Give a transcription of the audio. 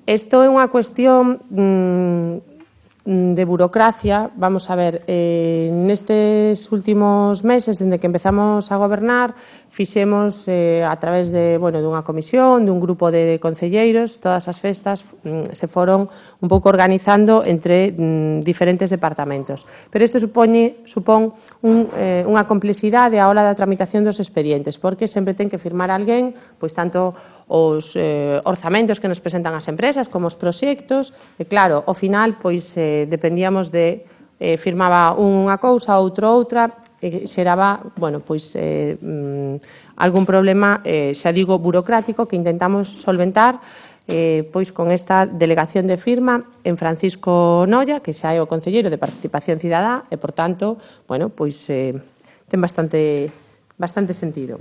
Isto é unha cuestión de burocracia. Vamos a ver, nestes últimos meses, dende que empezamos a gobernar, fixemos a través dunha comisión, dun grupo de concelleiros, todas as festas se foron un pouco organizando entre diferentes departamentos. Pero isto supón unha complexidade á hora da tramitación dos expedientes, porque sempre ten que firmar alguén, pois tanto os orzamentos que nos presentan as empresas como os proxectos, e claro, ao final, pois, dependíamos de firmaba unha cousa, outro outra, e xeraba, pois, algún problema, xa digo, burocrático que intentamos solventar pois con esta delegación de firma en Francisco Noia, que xa é o concelleiro de Participación Cidadá, e, por tanto, pois ten bastante sentido.